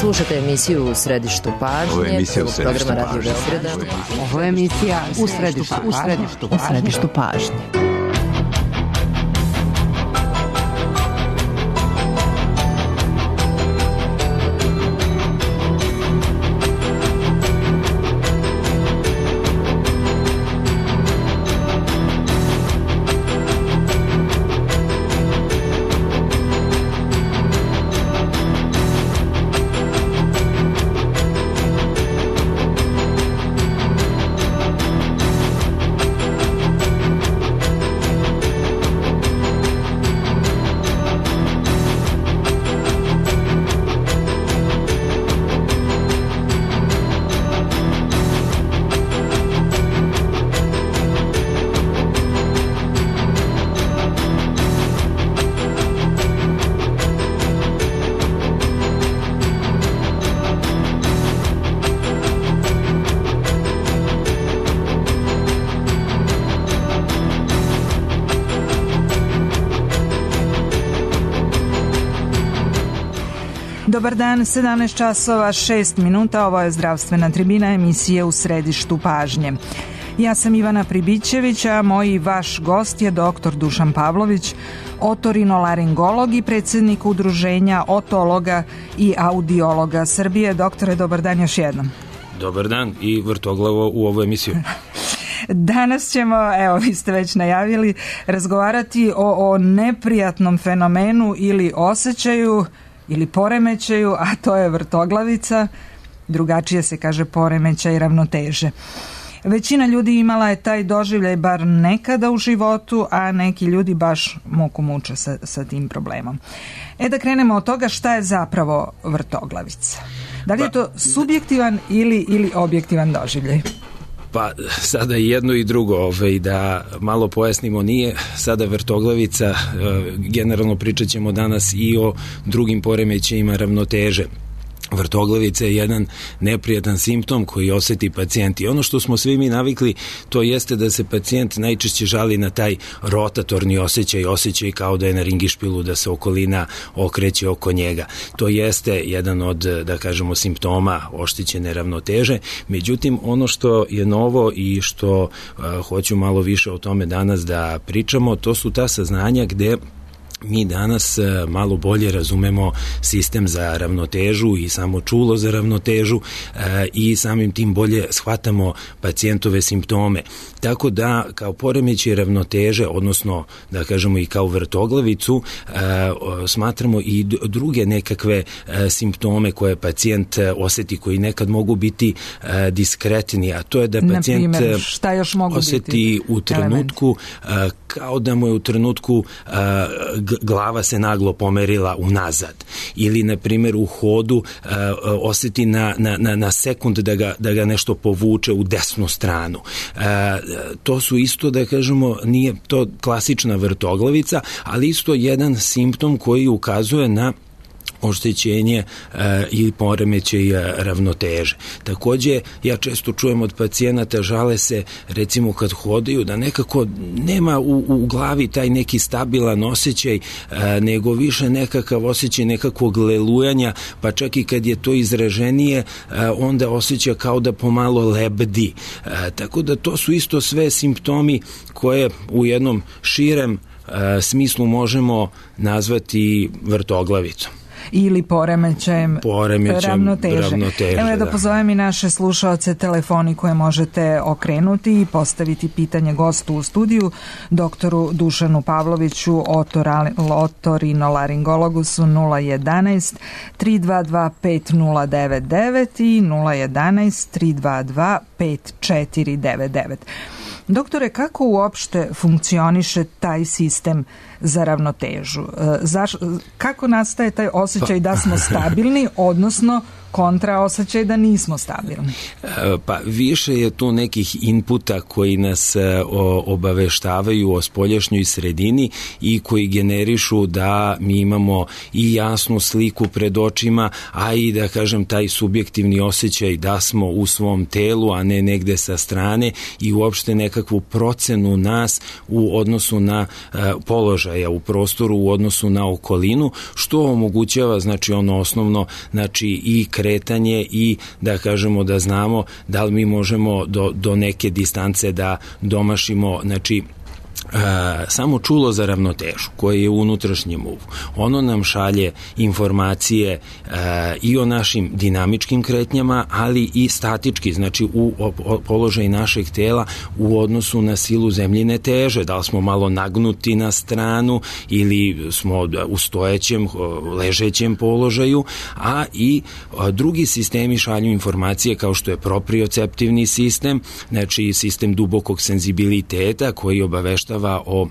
Slušate emisiju U središtu pažnje, programa Radio Beograda. Ovo je emisija U središtu pažnje. Dobar dan, 17 časova 6 minuta, ovo je zdravstvena tribina emisije U središtu pažnje. Ja sam Ivana Pribićević, a moj i vaš gost je dr. Dušan Pavlović, otorinolaringolog i predsjednik udruženja otologa i audiologa Srbije. Doktore, dobar dan još jednom. Dobar dan i vrtoglavo u ovu emisiju. Danas ćemo, evo vi ste već najavili, razgovarati o neprijatnom fenomenu ili osjećaju ili poremećaju, a to je vrtoglavica, drugačije se kaže poremećaj ravnoteže. Većina ljudi imala je taj doživljaj bar nekada u životu, a neki ljudi baš muku muče sa tim problemom. Da krenemo od toga šta je zapravo vrtoglavica. Da li je to subjektivan ili objektivan doživljaj? Pa sada jedno i drugo, da malo pojasnimo, nije sada vrtoglavica, generalno pričat ćemo danas i o drugim poremećajima ravnoteže. Vrtoglavica je jedan neprijatan simptom koji osjeti pacijent i ono što smo svi mi navikli, to jeste da se pacijent najčešće žali na taj rotatorni osjećaj kao da je na ringišpilu, da se okolina okreće oko njega. To jeste jedan od, da kažemo, simptoma oštećene ravnoteže. Međutim, ono što je novo i što hoću malo više o tome danas da pričamo, to su ta saznanja gde mi danas malo bolje razumemo sistem za ravnotežu i samo čulo za ravnotežu i samim tim bolje shvatamo pacijentove simptome. Tako da kao poremećaj ravnoteže, odnosno da kažemo i kao vrtoglavicu, smatramo i druge nekakve simptome koje pacijent osjeti, koji nekad mogu biti diskretni, a to je da pacijent osjeti u trenutku kao da mu je u trenutku glava se naglo pomerila unazad ili na primjer u hodu osjeti na sekund da ga nešto povuče u desnu stranu. To su isto, da kažemo, nije to klasična vrtoglavica, ali isto jedan simptom koji ukazuje na oštećenje ili poremećaj ravnoteže. Također, ja često čujem od pacijenata, žale se recimo kad hodaju da nekako nema u glavi taj neki stabilan osjećaj, nego više nekakav osjećaj nekakvog lelujanja, pa čak i kad je to izraženije, onda osjeća kao da pomalo lebdi. Tako da to su isto sve simptomi koje u jednom širem smislu možemo nazvati vrtoglavicom. Ili poremećajem ravnoteže. Evo da pozovem i naše slušaoce, telefoni koje možete okrenuti i postaviti pitanje gostu u studiju, doktoru Dušanu Pavloviću, otorinolaringologu su 011 322 5099 i 011 322 5499. Doktore, kako uopšte funkcioniše taj sistem za ravnotežu? Kako nastaje taj osjećaj da smo stabilni, odnosno kontra osjećaj da nismo stabilni? Pa više je tu nekih inputa koji nas obaveštavaju o spoljašnjoj sredini i koji generišu da mi imamo i jasnu sliku pred očima, a i da kažem taj subjektivni osjećaj da smo u svom telu, a ne negde sa strane, i uopšte nekakvu procenu nas u odnosu na položaja u prostoru, u odnosu na okolinu, što omogućava, znači ono osnovno, znači i kretanje i da kažemo da znamo da li mi možemo do neke distance da domašimo, znači samo čulo za ravnotežu koje je u unutrašnjem uvu. Ono nam šalje informacije i o našim dinamičkim kretnjama, ali i statički, znači u položaj našeg tela u odnosu na silu zemljine teže, da li smo malo nagnuti na stranu ili smo u stojećem, ležećem položaju, a i drugi sistemi šalju informacije kao što je proprioceptivni sistem, znači sistem dubokog senzibiliteta koji obaveštava o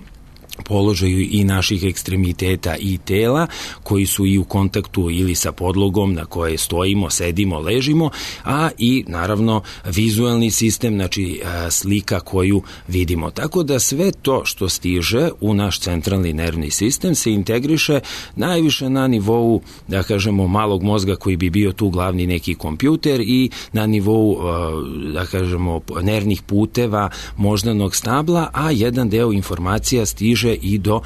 položaju i naših ekstremiteta i tela koji su i u kontaktu ili sa podlogom na kojoj stojimo, sedimo, ležimo, a i naravno vizualni sistem, znači slika koju vidimo. Tako da sve to što stiže u naš centralni nervni sistem se integriše najviše na nivou, da kažemo, malog mozga koji bi bio tu glavni neki kompjuter i na nivou, da kažemo, nervnih puteva moždanog stabla, a jedan deo informacija stiže i do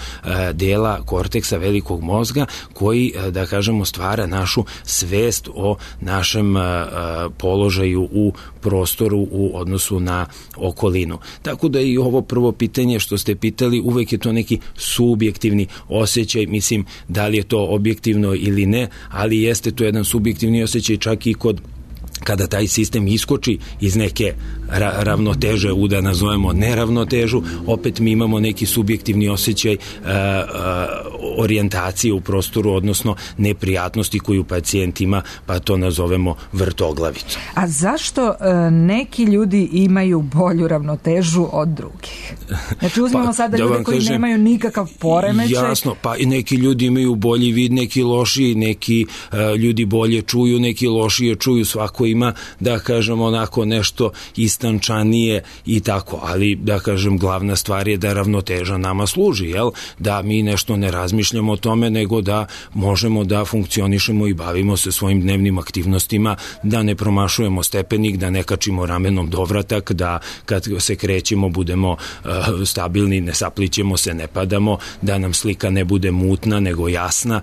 dela korteksa velikog mozga koji, da kažemo, stvara našu svest o našem položaju u prostoru u odnosu na okolinu. Tako da i ovo prvo pitanje što ste pitali, uvek je to neki subjektivni osjećaj, mislim da li je to objektivno ili ne, ali jeste to jedan subjektivni osjećaj čak i kada taj sistem iskoči iz neke ravnoteže u, da nazovemo, neravnotežu, opet mi imamo neki subjektivni osjećaj orijentacije u prostoru, odnosno neprijatnosti koju pacijent ima, pa to nazovemo vrtoglavicu. A zašto neki ljudi imaju bolju ravnotežu od drugih? Znači uzmemo sada ljude koji nemaju nikakav poremećaj. Jasno, pa i neki ljudi imaju bolji vid, neki lošiji, neki ljudi bolje čuju, neki lošije čuju, svako ima, da kažem, onako nešto istančanije i tako, ali da kažem glavna stvar je da ravnoteža nama služi, jel? Da mi nešto ne razmišljamo o tome, nego da možemo da funkcionišemo i bavimo se svojim dnevnim aktivnostima, da ne promašujemo stepenik, da ne kačimo ramenom dovratak, da kad se krećemo budemo stabilni, ne saplićemo se, ne padamo, da nam slika ne bude mutna nego jasna.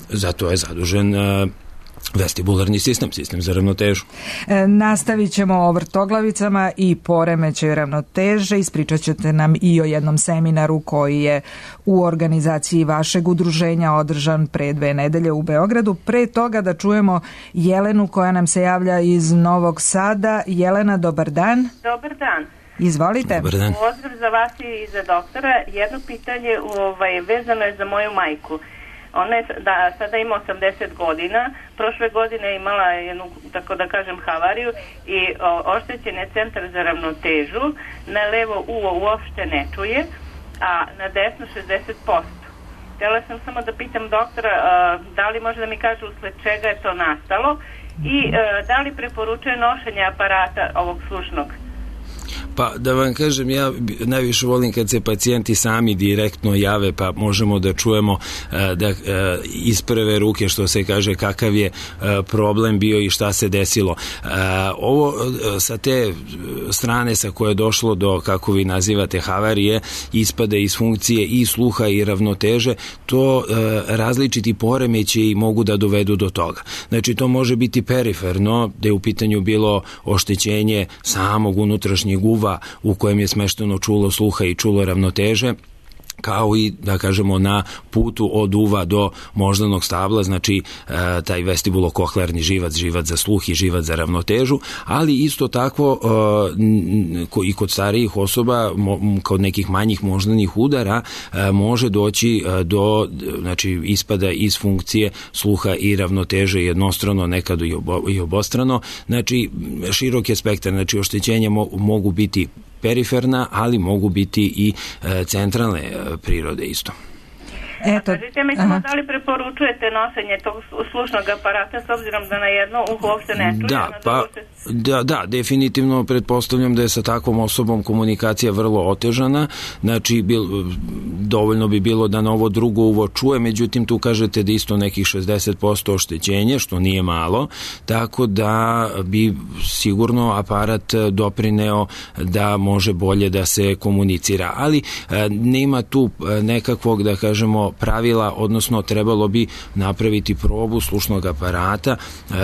Zato je zadužen vestibularni sistem, sistem za ravnotežu. Nastavit ćemo o vrtoglavicama i poremećaju ravnoteže. Ispričat ćete nam i o jednom seminaru koji je u organizaciji vašeg udruženja održan pre 2 nedelje u Beogradu. Pre toga da čujemo Jelenu koja nam se javlja iz Novog Sada. Jelena, dobar dan. Dobar dan. Izvolite. Dobar dan. Pozdrav za vas i za doktora. Jedno pitanje vezano je za moju majku. Ona je sada ima 80 godina, prošle godine je imala jednu, tako da kažem, havariju i oštećen je centar za ravnotežu, na levo uvo uopšte ne čuje, a na desno 60%. Htjela sam samo da pitam doktora da li može da mi kaže usled čega je to nastalo i da li preporučuje nošenje aparata ovog slušnog. Pa da vam kažem, ja najviše volim kad se pacijenti sami direktno jave, pa možemo da čujemo da iz prve ruke, što se kaže, kakav je problem bio i šta se desilo. Ovo sa te strane sa koje je došlo do, kako vi nazivate, havarije, ispada iz funkcije i sluha i ravnoteže, to različiti poremećaji mogu da dovedu do toga. Znači to može biti periferno, da je u pitanju bilo oštećenje samog unutrašnjeg uva u kojem je smešteno čulo sluha i čulo ravnoteže, kao i, da kažemo, na putu od uva do moždanog stabla, znači taj vestibulo-kohlearni živac, živac za sluh i živac za ravnotežu, ali isto tako i kod starijih osoba, kod nekih manjih moždanih udara, može doći do, znači, ispada iz funkcije sluha i ravnoteže jednostrano, nekad i obostrano, znači širok je spektar, znači oštećenja mogu biti periferna, ali mogu biti i centralne prirode isto. Kažite mi samo da li preporučujete nošenje tog slušnog aparata s obzirom da na jedno uho uopšte ne čuje? Da, definitivno pretpostavljam da je sa takvom osobom komunikacija vrlo otežana, znači dovoljno bi bilo da na ovo drugo uvo čuje, međutim tu kažete da isto nekih 60% oštećenje, što nije malo, tako da bi sigurno aparat doprineo da može bolje da se komunicira, ali nema tu nekakvog, da kažemo, pravila, odnosno trebalo bi napraviti probu slušnog aparata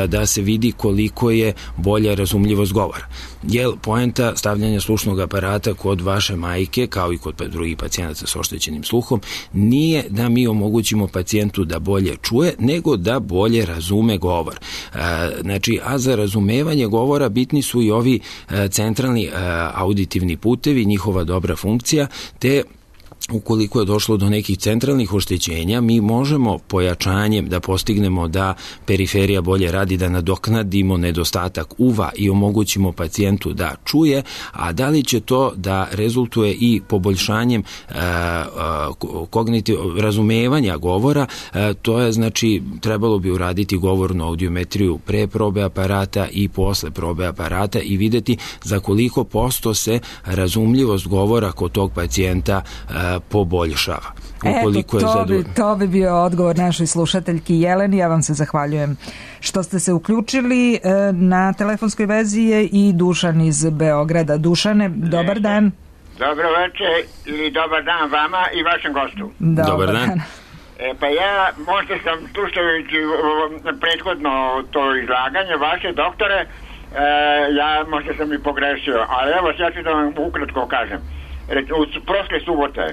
da se vidi koliko je bolja razumljivost govora. Jer poenta stavljanja slušnog aparata kod vaše majke, kao i kod drugih pacijenata sa oštećenim sluhom, nije da mi omogućimo pacijentu da bolje čuje, nego da bolje razume govor. Znači, a za razumevanje govora bitni su i ovi centralni auditivni putevi, njihova dobra funkcija, te ukoliko je došlo do nekih centralnih oštećenja, mi možemo pojačanjem da postignemo da periferija bolje radi, da nadoknadimo nedostatak uva i omogućimo pacijentu da čuje, a da li će to da rezultuje i poboljšanjem razumevanja govora, to je, znači, trebalo bi uraditi govornu audiometriju pre probe aparata i posle probe aparata i videti za koliko posto se razumljivost govora kod tog pacijenta poboljšava. To bi bio odgovor našoj slušateljki Jeleni. Ja vam se zahvaljujem što ste se uključili. Na telefonskoj vezi je i Dušan iz Beograda. Dušane, dobar dan. Dobro večer ili dobar dan vama i vašem gostu. Dobar dan. Pa ja možda sam slušajući prethodno to izlaganje vaše, doktore, ja možda sam i pogrešio, ali evo ja ću da vam ukratko kažem. Prošle subote,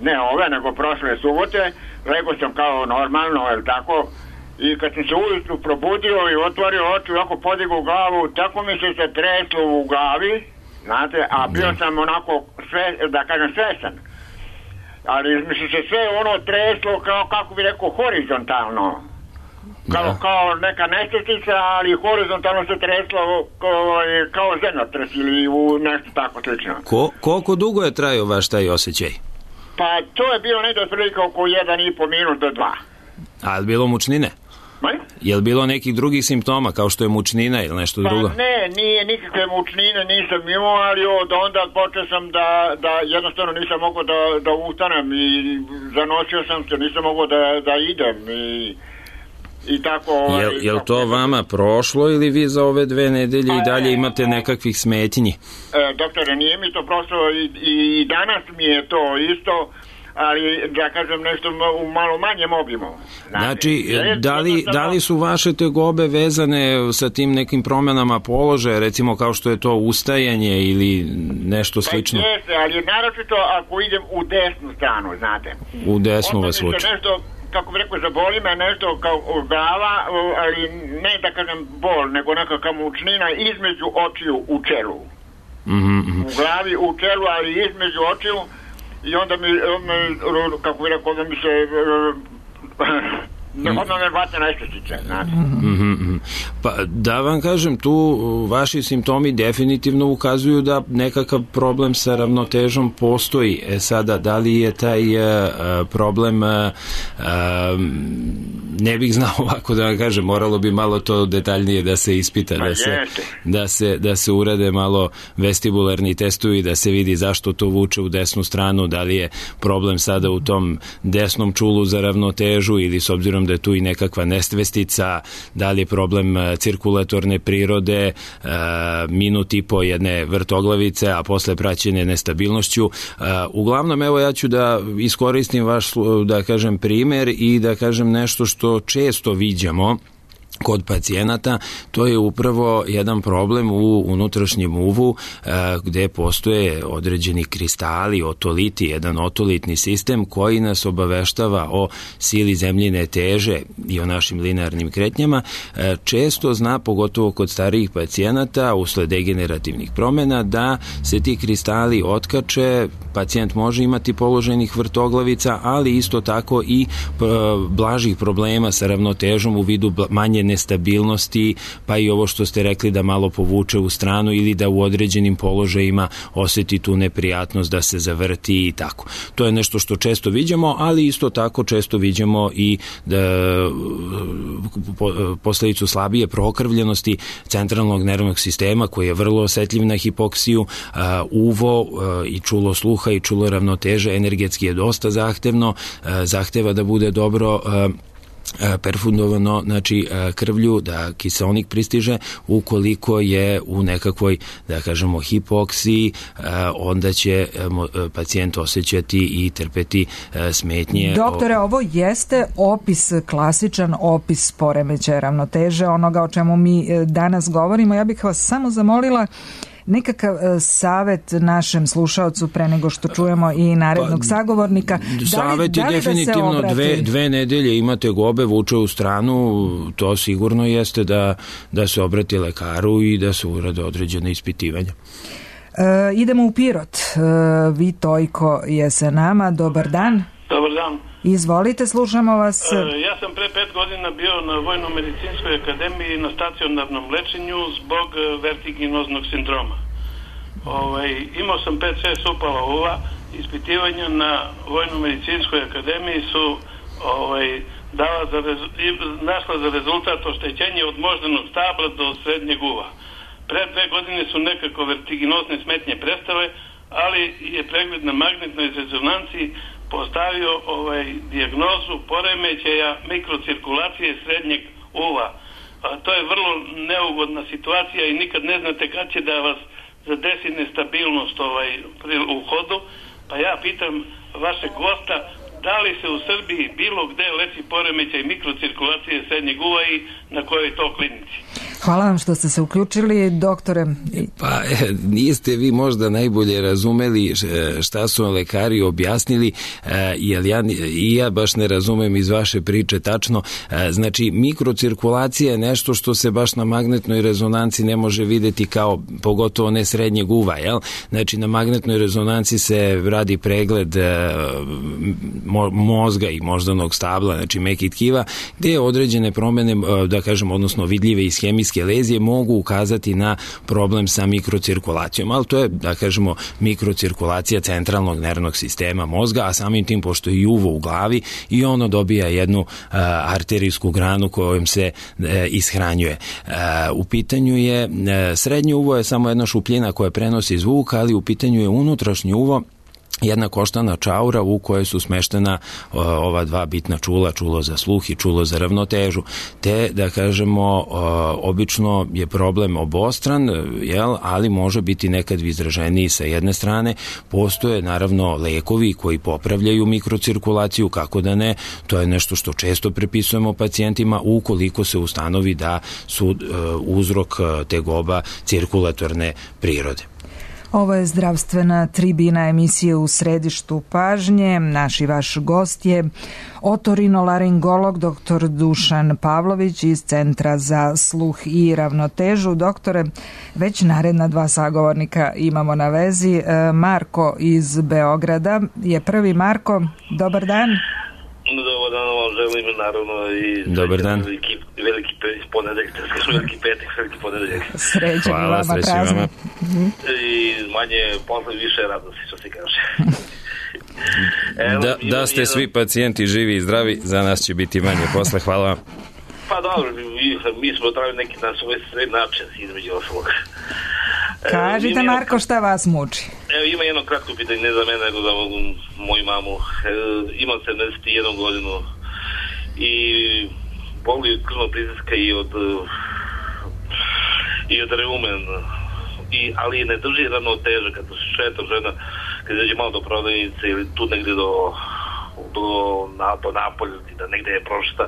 ne ove, nego prošle subote, legao sam kao normalno, je tako, i kad sam se ujutru probudio i otvorio oči, ovako podigao glavu, tako mi se treslo u glavi, znate, a bio sam onako, da kažem, svesan. Ali mi se sve ono treslo kao, kako bi rekao, horizontalno. Kao neka nestatica, ali horizontalno se treslo kao zemljotres ili u nešto tako slično. Koliko dugo je trajao vaš taj osjećaj? Pa to je bilo negdje otprilike oko 1,5 minut do 2. A je li bilo mučnine? Je li bilo nekih drugih simptoma kao što je mučnina ili nešto drugo? Pa ne, nije nikakve mučnine, nisam imao, ali od onda počeo sam da jednostavno nisam mogao da ustanem i zanosio sam se, nisam mogao da idem i tako. Je li to vama prošlo ili vi za ove 2 nedelje i dalje imate nekakvih smetnji? Doktore, nije mi to prošlo i danas mi je to isto, ali da kažem nešto u malo manjem obimu. Znači, da li su vaše tegobe vezane sa tim nekim promenama položaja, recimo kao što je to ustajanje ili nešto slično? Pa jeste, ali naročito ako idem u desnu stranu, znate. U desnu vas vuče. Kako bi rekao, zaboli me nešto kao glava, ali ne da kažem bol, nego nekakva mučnina između očiju u čelu. U glavi, u čelu, ali između očiju, i onda mi kako bi rekao, da mi se odmah me bate nestačice, znate. Pa da vam kažem, tu vaši simptomi definitivno ukazuju da nekakav problem sa ravnotežom postoji. Sada, da li je taj problem, ne bih znao ovako da vam kažem, moralo bi malo to detaljnije da se ispita, da se urade malo vestibularni testovi, da se vidi zašto to vuče u desnu stranu, da li je problem sada u tom desnom čulu za ravnotežu ili s obzirom da je tu i nekakva nestvestica, da li je problem cirkulatorne prirode, minut i po jedne vrtoglavice, a posle praćene nestabilnošću. Uglavnom, evo ja ću da iskoristim vaš, da kažem, primer i da kažem nešto što često viđamo kod pacijenata, to je upravo jedan problem u unutrašnjem uvu gde postoje određeni kristali, otoliti, jedan otolitni sistem koji nas obaveštava o sili zemljine teže i o našim linearnim kretnjama. Često zna, pogotovo kod starijih pacijenata, usled degenerativnih promena, da se ti kristali otkače, pacijent može imati položenih vrtoglavica, ali isto tako i blažih problema sa ravnotežom u vidu manje nestabilnosti, pa i ovo što ste rekli da malo povuče u stranu ili da u određenim položajima oseti tu neprijatnost da se zavrti i tako. To je nešto što često viđamo, ali isto tako često viđamo i posledicu slabije prokrvljenosti centralnog nervnog sistema koji je vrlo osetljiv na hipoksiju, uvo i čulo sluha i čulo ravnoteže energetski je dosta zahtevno, zahteva da bude dobro perfundovano, znači krvlju, da kiseonik pristiže. Ukoliko je u nekakvoj, da kažemo, hipoksiji, onda će pacijent osjećati i trpeti smetnje. Doktore, ovo jeste opis, klasičan opis poremećaja ravnoteže, onoga o čemu mi danas govorimo. Ja bih vas samo zamolila nekakav savet našem slušaocu pre nego što čujemo i narednog sagovornika. Savet je definitivno dve nedelje imate gobe, vuče u stranu, to sigurno jeste da se obrati lekaru i da se urade određene ispitivanja. Idemo u Pirot. Vitojko je sa nama. Dobar dan. Dobar dan. Izvolite, slušamo vas. Ja sam pre 5 godina bio na Vojno-medicinskoj akademiji na stacionarnom lečenju zbog vertiginoznog sindroma. Imao sam 5-6 upala uva. Ispitivanja na Vojno-medicinskoj akademiji su našla za rezultat oštećenje od moždanog stabla do srednjeg uva. Pre 2 godine su nekako vertiginozne smetnje prestale, ali je pregled na magnetnoj rezonanciji postavio dijagnozu poremećaja mikrocirkulacije srednjeg uva. To je vrlo neugodna situacija i nikad ne znate kad će da vas zadesi nestabilnost u hodu. Pa ja pitam vašeg gosta, da li se u Srbiji bilo gde leči poremećaj mikrocirkulacije srednjeg uva i na kojoj to klinici? Hvala vam što ste se uključili, doktore. Pa niste vi možda najbolje razumeli šta su lekari objasnili, jer ja baš ne razumem iz vaše priče tačno. Znači, mikrocirkulacija je nešto što se baš na magnetnoj rezonanci ne može videti kao, pogotovo ne srednjeg uva, jel? Znači, na magnetnoj rezonanci se radi pregled mozga i moždanog stabla, znači mekih tkiva, gde određene promene, da kažem, odnosno vidljive iz hemijske lezije mogu ukazati na problem sa mikrocirkulacijom, ali to je, da kažemo, mikrocirkulacija centralnog nervnog sistema mozga, a samim tim, pošto je uvo u glavi, i ono dobija jednu arterijsku granu kojom se ishranjuje. U pitanju je, srednje uvo je samo jedna šupljina koja prenosi zvuk, ali u pitanju je unutrašnje uvo, jedna koštana čaura u kojoj su smeštena ova dva bitna čula, čulo za sluh i čulo za ravnotežu. Te, da kažemo, obično je problem obostran, ali može biti nekad izraženiji sa jedne strane. Postoje, naravno, lekovi koji popravljaju mikrocirkulaciju, kako da ne, to je nešto što često prepisujemo pacijentima ukoliko se ustanovi da su uzrok tegoba cirkulatorne prirode. Ovo je zdravstvena tribina emisije U središtu pažnje. Naš i vaš gost je otorinolaringolog dr. Dušan Pavlović iz Centra za sluh i ravnotežu. Doktore, već naredna 2 sagovornika imamo na vezi. Marko iz Beograda je prvi. Marko, dobar dan. Dobar dan, vam želim naravno i dobar dan. Veliki ponedeljak, veliki petak, veliki ponedeljak. Srećan vama, praznik. I manje posle, više radosti, što se kaže. Da ste svi pacijenti živi i zdravi, za nas će biti manje posle, hvala vam. Pa dobro, mi smo trebali neki na svoj sred način, između ostalog. Kažite, Marko, šta vas muči? Evo, ima jedno kratko pitanje, ne za mene, nego za moju mamu. Imam 71 godinu i boli krvnog pritiska i od reumen, ali ne drži ravnoteže kad se šeta žena, kad dođe malo do prodavnice ili tu negde do napolja, da negde je prošta,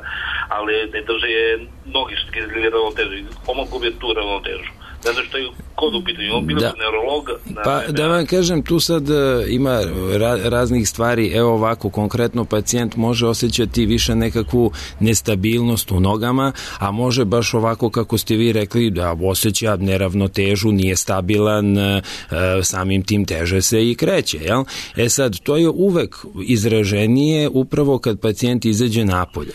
ali ne drži je nogi što izgleda ravnoteže. Oma gubi tu ravnotežu. Ne znam kod u pitanju, bilo da neurolog. Pa da vam kažem, tu sad ima raznih stvari. Evo ovako, konkretno pacijent može osjećati više nekakvu nestabilnost u nogama, a može baš ovako kako ste vi rekli da osjeća neravnotežu, nije stabilan, samim tim teže se i kreće, jel? Sad, to je uvek izraženije upravo kad pacijent izađe napolje.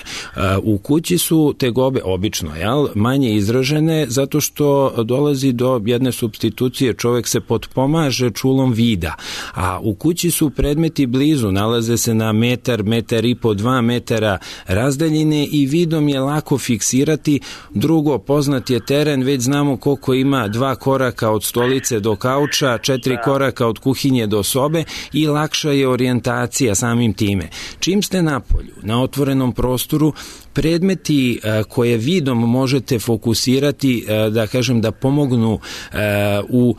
U kući su tegobe obično, jel, manje izražene zato što dolazi do jedne supstitucije, čovek se potpomaže čulom vida, a u kući su predmeti blizu, nalaze se na metar, metar i po, 2 metara razdaljine i vidom je lako fiksirati. Drugo, poznat je teren, već znamo koliko ima 2 koraka od stolice do kauča, 4 koraka od kuhinje do sobe i lakša je orijentacija samim time. Čim ste napolju, na otvorenom prostoru, predmeti koje vidom možete fokusirati, da kažem, da pomognu u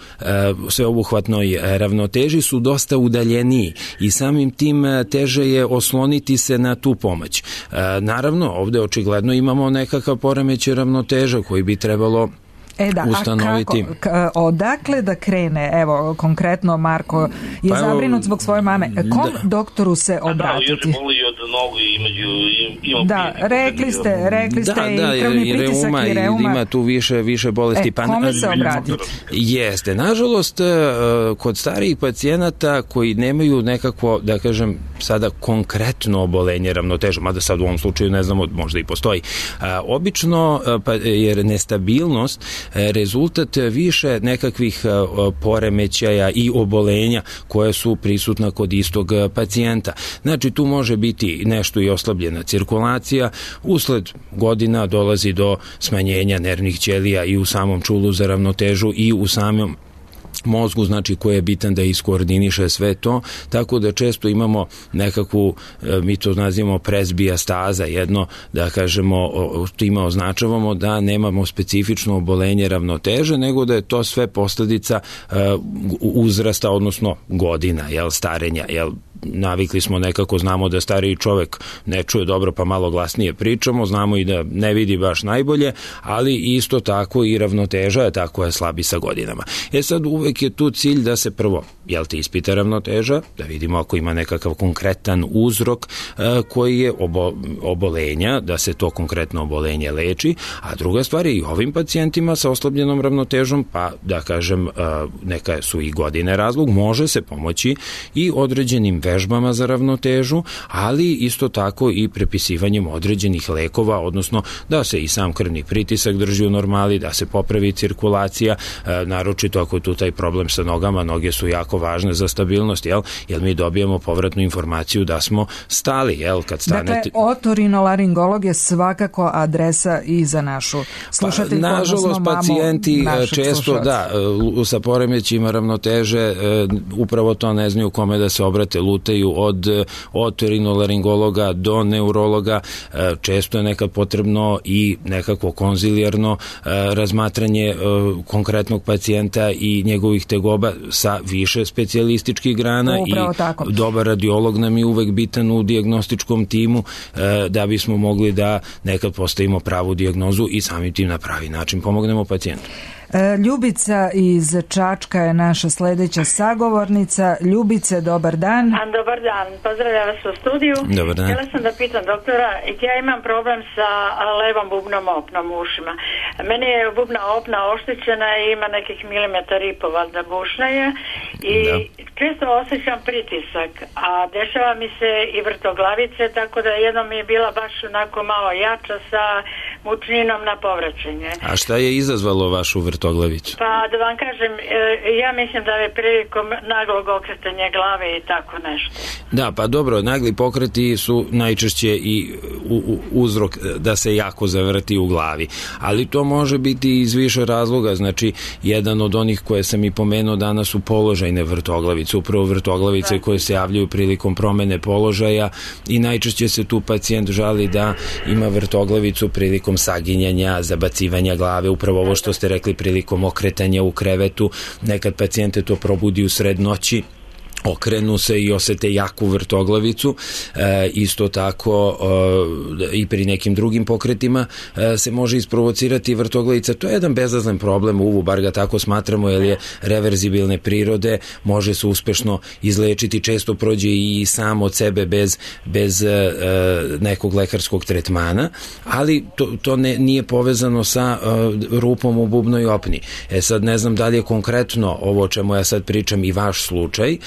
sveobuhvatnoj ravnoteži su dosta udaljeniji i samim tim teže je osloniti se na tu pomoć. Naravno, ovde očigledno imamo nekakav poremećaj ravnoteža koji bi trebalo ustanoviti. A kako, odakle da krene? Evo, konkretno Marko je zabrinut zbog svoje mame. Kom doktoru se obratiti? Još boli od nogu i rekli ste i krvni pritisak i reuma. Ima tu više bolesti. Kome se obratiti? Jeste. Nažalost, kod starijih pacijenata koji nemaju nekako, da kažem, sada konkretno obolenje ravnoteže, mada sad u ovom slučaju ne znamo, možda i postoji. Obično je nestabilnost rezultat više nekakvih poremećaja i obolenja koje su prisutna kod istog pacijenta. Znači, tu može biti nešto i oslabljena cirkulacija, usled godina dolazi do smanjenja nervnih ćelija i u samom čulu za ravnotežu i u samom mozgu, znači koji je bitan da iskoordiniše sve to, tako da često imamo nekakvu, mi to nazivamo presbijastaza, jedno, da kažemo, time označavamo da nemamo specifično obolenje ravnoteže, nego da je to sve posledica uzrasta, odnosno godina, starenja, navikli smo nekako, znamo da stariji čovek ne čuje dobro pa malo glasnije pričamo, znamo i da ne vidi baš najbolje, ali isto tako i ravnoteža je tako je slabi sa godinama. Sad uvek je tu cilj da se prvo, ispita ravnoteža, da vidimo ako ima nekakav konkretan uzrok koji je obolenja, da se to konkretno obolenje leči, a druga stvar je i ovim pacijentima sa oslabljenom ravnotežom, pa da kažem neka su i godine razlog, može se pomoći i određenim vežbama za ravnotežu, ali isto tako i prepisivanjem određenih lekova, odnosno da se i sam krvni pritisak drži u normali, da se popravi cirkulacija, naročito ako je tu taj problem sa nogama, noge su jako važne za stabilnost, jer mi dobijemo povratnu informaciju da smo stali, kad stanete... Dakle, otorinolaringolog je svakako adresa i za našu slušateljku, nažalost, pacijenti često, sa poremećima ravnoteže, upravo to ne znaju kome da se obrate, lutaju od otorinolaringologa do neurologa, često je nekad potrebno i nekako konzilijarno razmatranje konkretnog pacijenta i njegovih tegoba sa više specijalističkih grana i dobar radiolog nam je uvek bitan u dijagnostičkom timu da bismo mogli da nekad postavimo pravu dijagnozu i samim tim na pravi način pomognemo pacijentu. Ljubica iz Čačka je naša sledeća sagovornica. Ljubice, dobar dan. Dobar dan, pozdravljam vas u studiju. Dobar dan. Htjela sam da pitam doktora, ja imam problem sa levom bubnom opnom u ušima. Meni je bubna opna oštećena i ima nekih milimetar i po, valjda bušna je i često osjećam pritisak, a dešava mi se i vrtoglavice, tako da jednom mi je bila baš onako malo jača sa mučninom na povraćenje. A šta je izazvalo vašu vrtoglavicu? Pa da vam kažem, ja mislim da je prilikom naglog okretanja glave i tako nešto. Da, pa dobro, nagli pokreti su najčešće i uzrok da se jako zavrti u glavi, ali to može biti iz više razloga, znači jedan od onih koje sam i pomenuo danas su položajne vrtoglavice, upravo vrtoglavice koje se javljaju prilikom promene položaja i najčešće se tu pacijent žali da ima vrtoglavicu prilikom saginjanja, zabacivanja glave, upravo ovo što ste rekli prilikom okretanja u krevetu, nekad pacijente to probudi u sred noći, okrenu se i osete jaku vrtoglavicu, isto tako i pri nekim drugim pokretima se može isprovocirati vrtoglavica. To je jedan bezazlen problem uvu, bar ga tako smatramo, jer je reverzibilne prirode, može se uspešno izlečiti, često prođe i sam od sebe bez nekog lekarskog tretmana, ali to nije povezano sa rupom u bubnoj opni. Sad ne znam da li je konkretno ovo o čemu ja sad pričam i vaš slučaj,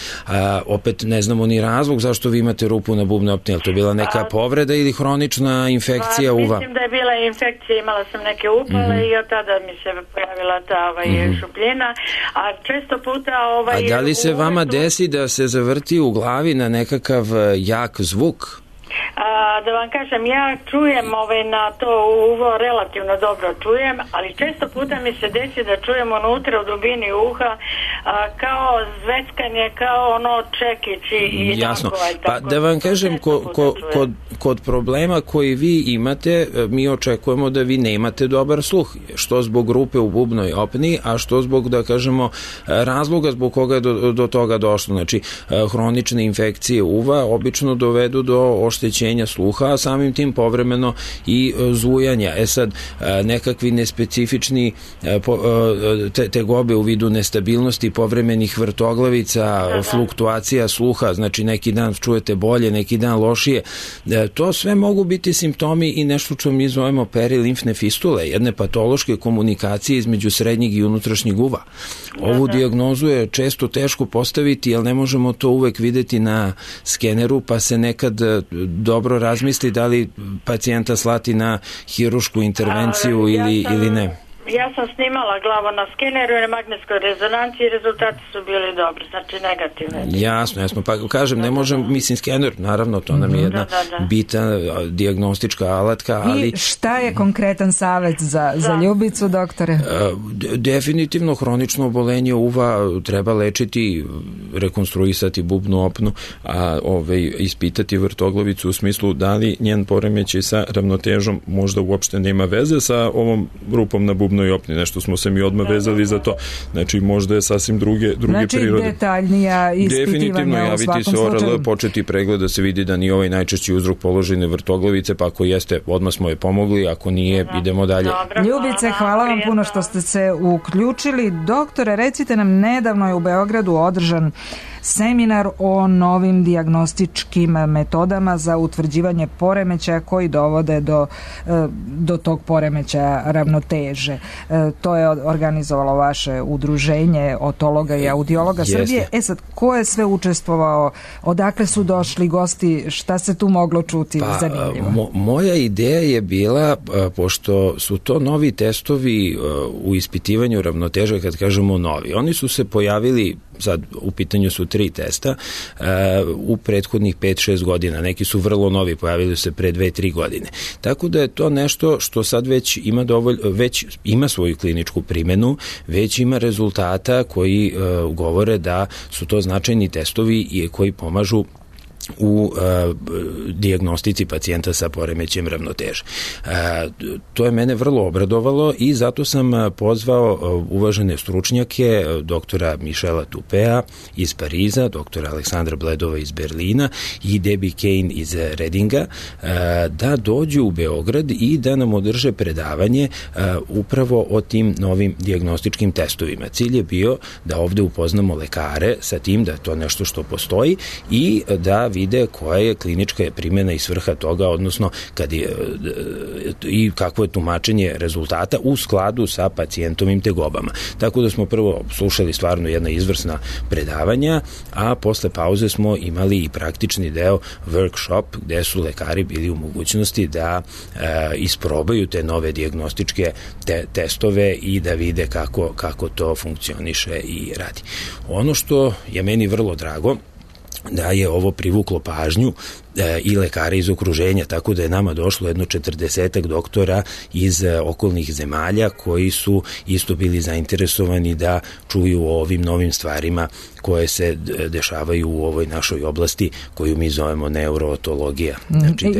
opet ne znamo ni razlog zašto vi imate rupu na bubnoj opni, ali to je bila neka povreda ili hronična infekcija uva? Mislim da je bila infekcija, imala sam neke upale i od tada mi se pojavila ta šupljina, a često puta A da li se vama desi da se zavrti u glavi na nekakav jak zvuk? Da vam kažem, ja čujem na to uvo, relativno dobro čujem, ali često puta mi se desi da čujem unutra u dubini uha kao zveckanje, kao čekić i jasno. Pa da vam kažem, kod problema koji vi imate, mi očekujemo da vi nemate dobar sluh, što zbog rupe u bubnoj opni, a što zbog, da kažemo, razloga zbog koga je do toga došlo. Znači, hronične infekcije uva obično dovedu do oštećenja sluha, a samim tim povremeno i zujanja. Sad, nekakvi nespecifični tegobe u vidu nestabilnosti, povremenih vrtoglavica, fluktuacija sluha, znači neki dan čujete bolje, neki dan lošije. To sve mogu biti simptomi i nešto što mi zovemo perilimfne fistule, jedne patološke komunikacije između srednjeg i unutrašnjeg uva. Ovu dijagnozu je često teško postaviti, jer ne možemo to uvek videti na skeneru, pa se nekad dobro razmisli da li pacijenta slati na hirušku intervenciju ili ne. Ja sam snimala glavu na skeneru i na magnetskoj rezonanciji i rezultati su bili dobri, znači negativni. Jasno, pa kažem, ne možem, mislim, skener, naravno, to nam je jedna bitna dijagnostička alatka, ali... I šta je konkretan savjet za Ljubicu, doktore? Definitivno, hronično obolenje uva treba lečiti, rekonstruisati bubnu opnu, a ispitati vrtoglavicu u smislu da li njen poremećaj sa ravnotežom možda uopšte nema veze sa ovom rupom na bubnu i opni, nešto smo se mi odmah vezali za to. Znači, možda je sasvim druge prirode. Znači, detaljnija ispitivanja definitivno u svakom javiti se ORL, početi pregled da se vidi da nije ovaj najčešći uzrok položajne vrtoglavice, pa ako jeste, odmah smo je pomogli, ako nije, idemo dalje. Ljubice, hvala vam puno što ste se uključili. Doktore, recite nam, nedavno je u Beogradu održan seminar o novim dijagnostičkim metodama za utvrđivanje poremećaja koji dovode do tog poremećaja ravnoteže. To je organizovalo vaše udruženje otologa i audiologa Srbije. Sad, ko je sve učestvovao? Odakle su došli gosti? Šta se tu moglo čuti? Zanimljivo. Moja ideja je bila, pošto su to novi testovi u ispitivanju ravnoteže, kad kažemo novi, oni su se pojavili, sad u pitanju su 3 testa, u prethodnih 5-6 godina. Neki su vrlo novi, pojavili se pre 2-3 godine. Tako da je to nešto što sad već ima svoju kliničku primjenu, već ima rezultata koji govore da su to značajni testovi i koji pomažu u dijagnostici pacijenta sa poremećajem ravnoteže. To je mene vrlo obradovalo i zato sam pozvao uvažene stručnjake, doktora Michela Tupea iz Pariza, doktora Aleksandra Bledova iz Berlina i Debbie Kane iz Redinga, da dođu u Beograd i da nam održe predavanje upravo o tim novim dijagnostičkim testovima. Cilj je bio da ovde upoznamo lekare sa tim da je to nešto što postoji i da vide koja je klinička primjena i svrha toga, odnosno i kakvo je tumačenje rezultata u skladu sa pacijentovim tegobama. Tako da smo prvo slušali stvarno jedna izvrsna predavanja, a posle pauze smo imali i praktični deo workshop gde su lekari bili u mogućnosti da isprobaju te nove dijagnostičke testove i da vide kako to funkcioniše i radi. Ono što je meni vrlo drago, da je ovo privuklo pažnju i lekara iz okruženja, tako da je nama došlo jedno 40 doktora iz okolnih zemalja koji su isto bili zainteresovani da čuju o ovim novim stvarima koje se dešavaju u ovoj našoj oblasti koju mi zovemo neurootologija. Znači,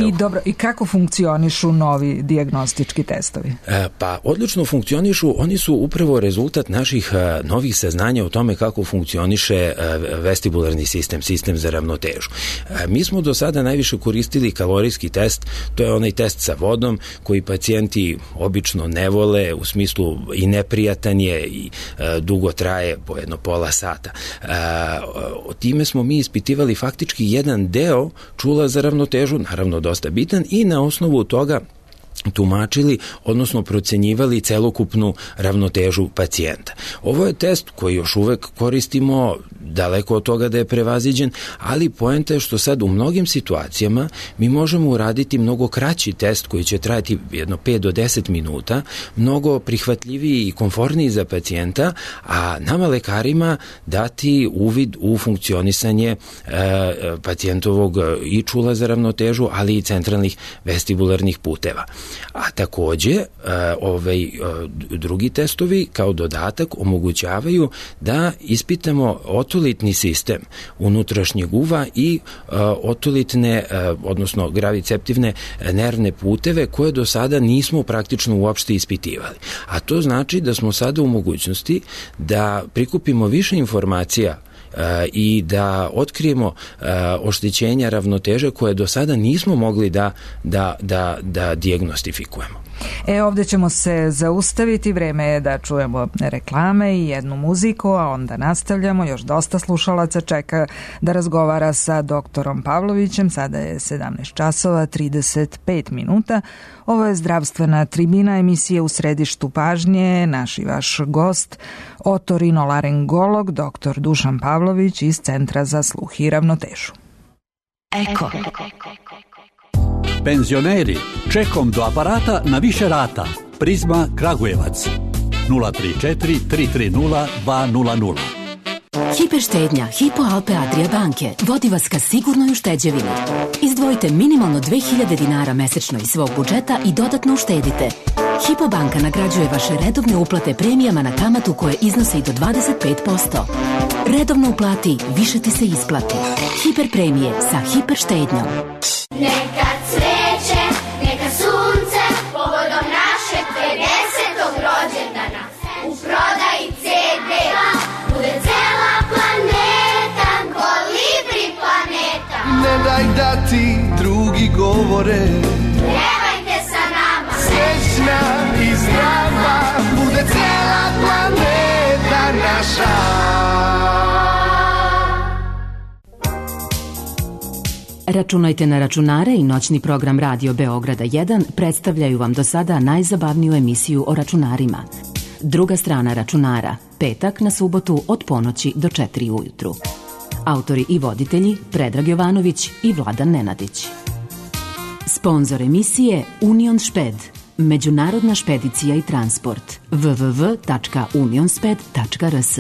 I kako funkcionišu novi dijagnostički testovi? Pa odlično funkcionišu, oni su upravo rezultat naših novih saznanja o tome kako funkcioniše vestibularni sistem za ravnotežu. Mi smo do sada najviše koristili kalorijski test, to je onaj test sa vodom koji pacijenti obično ne vole, u smislu i neprijatan je i dugo traje, po jedno pola sata. Time smo mi ispitivali faktički jedan deo čula za ravnotežu, naravno dosta bitan, i na osnovu toga tumačili, odnosno procenjivali celokupnu ravnotežu pacijenta. Ovo je test koji još uvek koristimo, daleko od toga da je prevaziđen, ali poenta je što sad u mnogim situacijama mi možemo uraditi mnogo kraći test koji će trajati jedno 5 do 10 minuta, mnogo prihvatljiviji i komforniji za pacijenta, a nama lekarima dati uvid u funkcionisanje pacijentovog i čula za ravnotežu, ali i centralnih vestibularnih puteva. A takođe, drugi testovi kao dodatak omogućavaju da ispitamo otolitni sistem unutrašnjeg uva i otolitne, odnosno graviceptivne nervne puteve koje do sada nismo praktično uopšte ispitivali. A to znači da smo sada u mogućnosti da prikupimo više informacija i da otkrijemo oštećenja ravnoteže koje do sada nismo mogli da dijagnostifikujemo. Ovdje ćemo se zaustaviti, vreme je da čujemo reklame i jednu muziku, a onda nastavljamo. Još dosta slušalaca čeka da razgovara sa doktorom Pavlovićem. Sada je 17 časova 35 minuta. Ovo je zdravstvena tribina, emisije U središtu pažnje. Naš i vaš gost, otorinolaringolog dr. Dušan Pavlović iz Centra za sluh i ravnotežu. Eko. Penzioneri, čekom do aparata na više rata. Prizma Kragujevac 034 330 200. Hiperštednja Hypo Alpe Adria banke vodi vas ka sigurnoj ušteđevini. Izdvojite minimalno 2000 dinara mesečno iz svog budžeta i dodatno uštedite. Hypo banka nagrađuje vaše redovne uplate premijama na kamatu koje iznose i do 25%. Redovno uplati, više ti se isplati. Hiper premije sa hiperštednjom. Neka cveće, neka sunce, povodom našeg 50. rođendana. U prodaji CD-a bude cela planeta, Kolibri planeta. Ne daj da ti drugi govore, pjevajte sa nama. Srećna i zdrava, bude cela planeta naša. Računajte na računare i noćni program Radio Beograda 1 predstavljaju vam do sada najzabavniju emisiju o računarima. Druga strana računara, petak na subotu od ponoći do 4 ujutru. Autori i voditelji Predrag Jovanović i Vladan Nenadić. Sponzor emisije Union Šped, međunarodna špedicija i transport, www.unionsped.rs.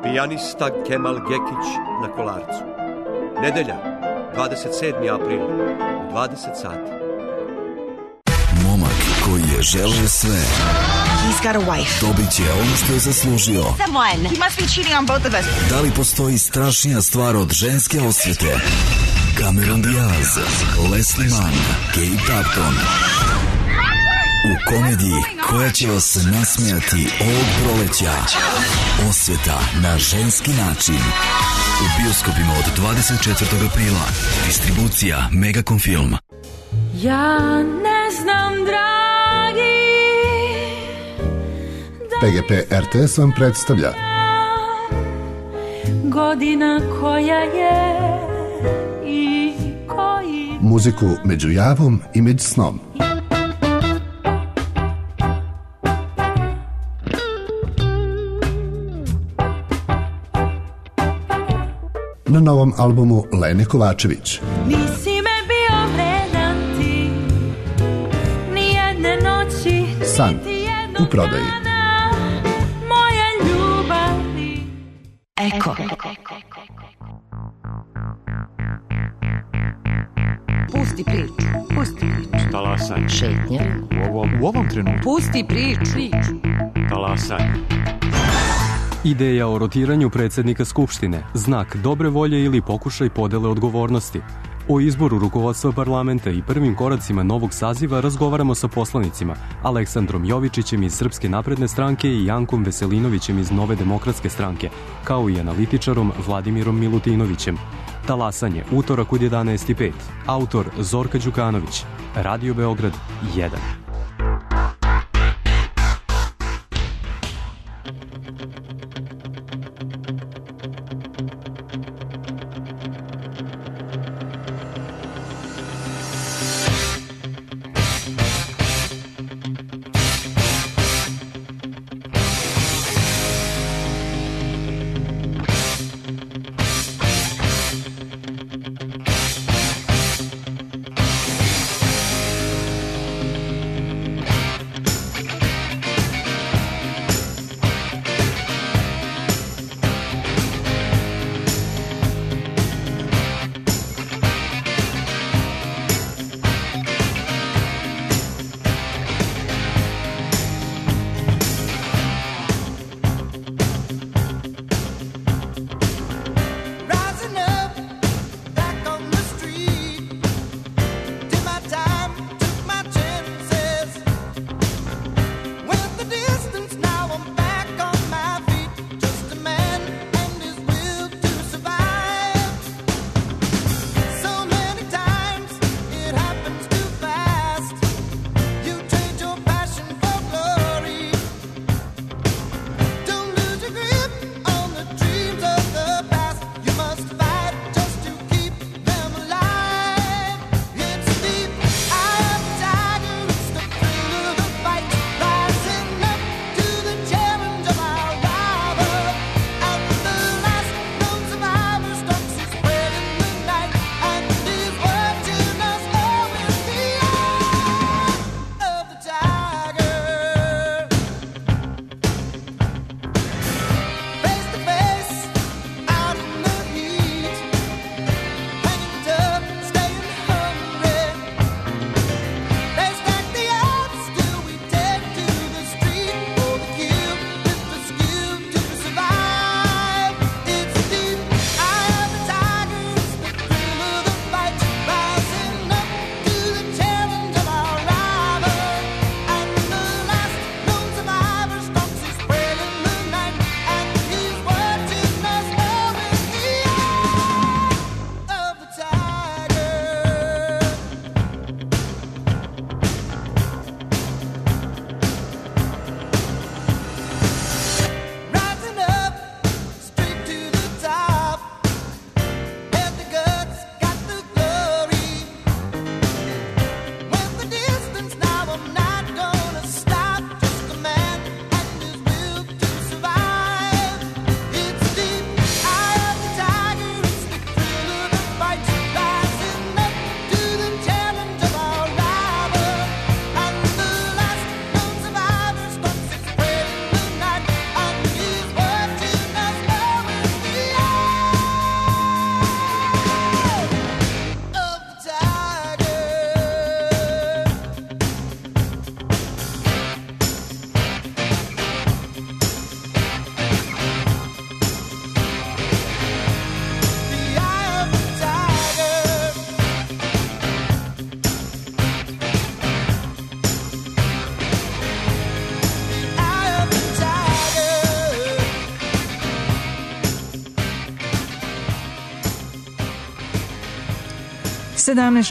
Pijanista Kemal Gekić na Kolarcu. Nedelja, 27. april, 20 sati. Momak koji je želeo sve. He's got a wife. Dobit će ono što je zaslužio. Someone. He must be cheating on both of us. Da li postoji strašnija stvar od ženske osvete? Cameron Diaz, Leslie Mann, Kate Upton. U komediji koja će vas nasmijati ovog proleća. Osveta na ženski način. U bioskopima od 24. aprila. Distribucija Megacom Film. Ja ne znam, dragi. PGP RTS vam predstavlja Godina koja je i koji. Muziku među javom i među snom. Na novom albumu Lene Kovačević. Nisi me bio vredan ti, nijedne noći, San u prodaji. moje ljubavi. Eko. Pusti priču. Talasaj. Šetnja. U ovom trenutku. Pusti priču. Talasaj. Ideja o rotiranju predsjednika Skupštine, znak dobre volje ili pokušaj podele odgovornosti. O izboru rukovodstva parlamenta i prvim koracima novog saziva razgovaramo sa poslanicima Aleksandrom Jovičićem iz Srpske napredne stranke i Jankom Veselinovićem iz Nove demokratske stranke, kao i analitičarom Vladimirom Milutinovićem. Talasanje, utorak od 11:05. Autor Zorka Đukanović. Radio Beograd 1.